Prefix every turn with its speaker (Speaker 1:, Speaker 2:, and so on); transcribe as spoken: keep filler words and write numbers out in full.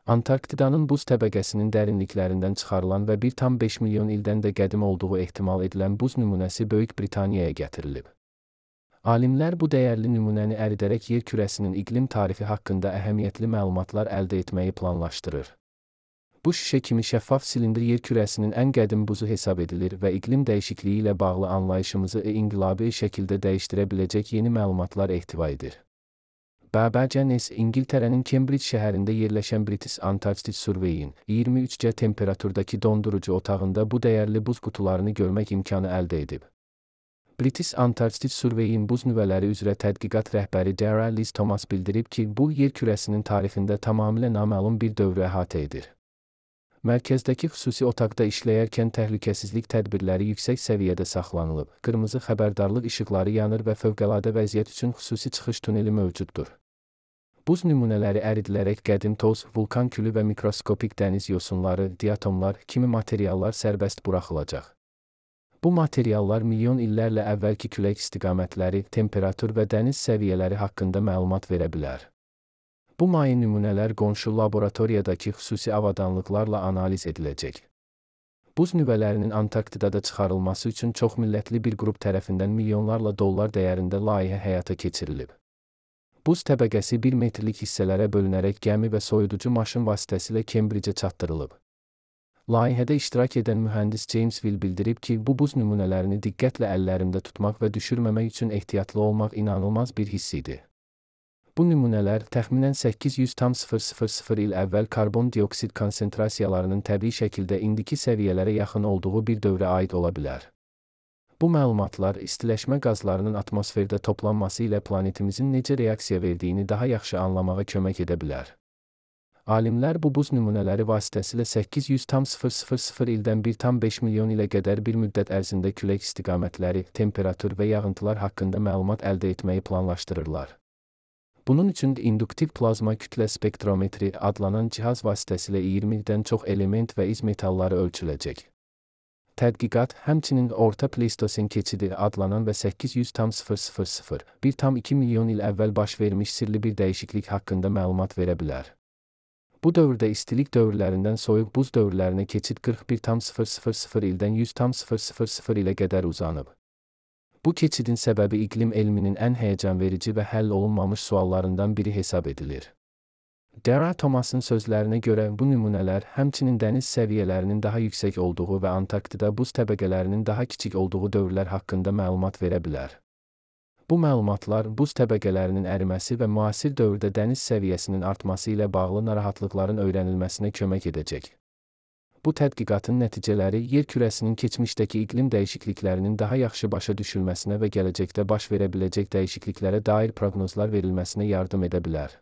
Speaker 1: Antarktidanın buz təbəqəsinin dərinliklərindən çıxarılan və bir tam beş milyon ildən də qədim olduğu ehtimal edilən buz nümunəsi Böyük Britaniyaya gətirilib. Alimlər bu dəyərli nümunəni əridərək yer kürəsinin iqlim tarixi haqqında əhəmiyyətli məlumatlar əldə etməyi planlaşdırır. Bu şüşə kimi şəffaf silindr yer kürəsinin ən qədim buzu hesab edilir və iqlim dəyişikliyi ilə bağlı anlayışımızı inqilabi şəkildə dəyişdirə biləcək yeni məlumatlar ehtiva edir. B B C News İngiltərənin Cambridge şəhərində yerləşən British Antarctic Survey'in iyirmi üç dərəcə temperaturdakı dondurucu otağında bu dəyərli buz qutularını görmək imkanı əldə edib. British Antarctic Survey'in buz nüvələri üzrə tədqiqat rəhbəri Dara Liz Thomas bildirib ki, bu yer kürəsinin tarixində tamamilə naməlum bir dövrü əhatə edir. Mərkəzdəki xüsusi otaqda işləyərkən təhlükəsizlik tədbirləri yüksək səviyyədə saxlanılıb, qırmızı xəbərdarlıq işıqları yanır və fövqəladə vəziyyət üçün xüsusi çıxış tuneli mövcuddur. Buz nümunələri əridilərək qədim toz, vulkan külü və mikroskopik dəniz yosunları, diatomlar kimi materiallar sərbəst buraxılacaq. Bu materiallar milyon illərlə əvvəlki külək istiqamətləri, temperatur və dəniz səviyyələri haqqında məlumat verə bilər. Bu maye nümunələr qonşu laboratoriyadakı xüsusi avadanlıqlarla analiz ediləcək. Buz nüvələrinin Antarktidada çıxarılması üçün çoxmillətli bir qrup tərəfindən milyonlarla dollar dəyərində layihə həyata keçirilib. Buz təbəqəsi bir metrlik hissələrə bölünərək gəmi və soyuducu maşın vasitəsilə Cambridge-ə çatdırılıb. Layihədə iştirak edən mühəndis James Will bildirib ki, bu buz nümunələrini diqqətlə əllərimdə tutmaq və düşürməmək üçün ehtiyatlı olmaq inanılmaz bir hiss idi. Bu nümunələr təxminən səkkiz yüz min il əvvəl karbon dioksid konsentrasiyalarının təbii şəkildə indiki səviyyələrə yaxın olduğu bir dövrə aid ola bilər. Bu məlumatlar istiləşmə qazlarının atmosferdə toplanması ilə planetimizin necə reaksiya verdiyini daha yaxşı anlamağa kömək edə bilər. Alimlər bu buz nümunələri vasitəsilə səkkiz yüz min ildən bir tam beş milyon ilə qədər bir müddət ərzində külək istiqamətləri, temperatur və yağıntılar haqqında məlumat əldə etməyi planlaşdırırlar. Bunun üçün induktiv plazma kütlə spektrometri adlanan cihaz vasitəsilə iyirmidən çox element və iz metalları ölçüləcək. Tədqiqat, həmçinin Orta Pleistosen keçidi adlanan və səkkiz yüz min bir tam iki milyon il əvvəl baş vermiş sirli bir dəyişiklik haqqında məlumat verə bilər. Bu dövrdə istilik dövrlərindən soyuq buz dövrlərinə keçid qırx bir tam ildən yüz tam ilə qədər uzanıb. Bu keçidin səbəbi iqlim elminin ən həyəcanverici və həll olunmamış suallarından biri hesab edilir. Dara Thomas'ın sözlərinə görə bu nümunələr həmçinin dəniz səviyyələrinin daha yüksək olduğu və Antarktida buz təbəqələrinin daha kiçik olduğu dövrlər haqqında məlumat verə bilər. Bu məlumatlar buz təbəqələrinin əriməsi və müasir dövrdə dəniz səviyyəsinin artması ilə bağlı narahatlıqların öyrənilməsinə kömək edəcək. Bu tədqiqatın nəticələri yer kürəsinin keçmişdəki iqlim dəyişikliklərinin daha yaxşı başa düşülməsinə və gələcəkdə baş verə biləcək dəyişikliklərə dair proqnozlar verilməsinə yardım edə bilər.